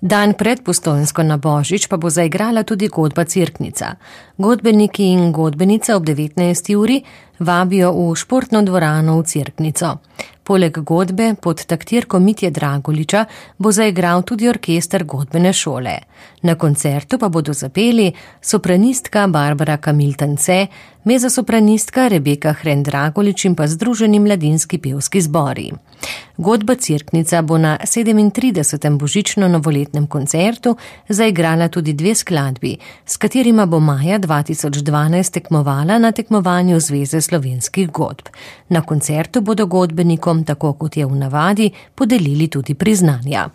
Dan pred Postojnsko na Božič pa bo zaigrala tudi godba Cerknica. Godbeniki in godbenica ob 19. uri vabijo v športno dvorano v Cerknico. Poleg godbe pod taktirko Mitje Dragoliča bo zaigral tudi orkester godbene šole. Na koncertu pa bodo zapeli sopranistka Barbara Kamil-Tance, mezzosopranistka Rebeka Hren-Dragolič in pa Združeni mladinski pevski zbori. Godba Cerknica bo na 37. božično-novoletnem koncertu zaigrala tudi 2 skladbi, s katerima bo maja 2012 tekmovala na tekmovanju Zveze slovenskih godb. Na koncertu bodo godbenikom, tako kot je v navadi, podelili tudi priznanja.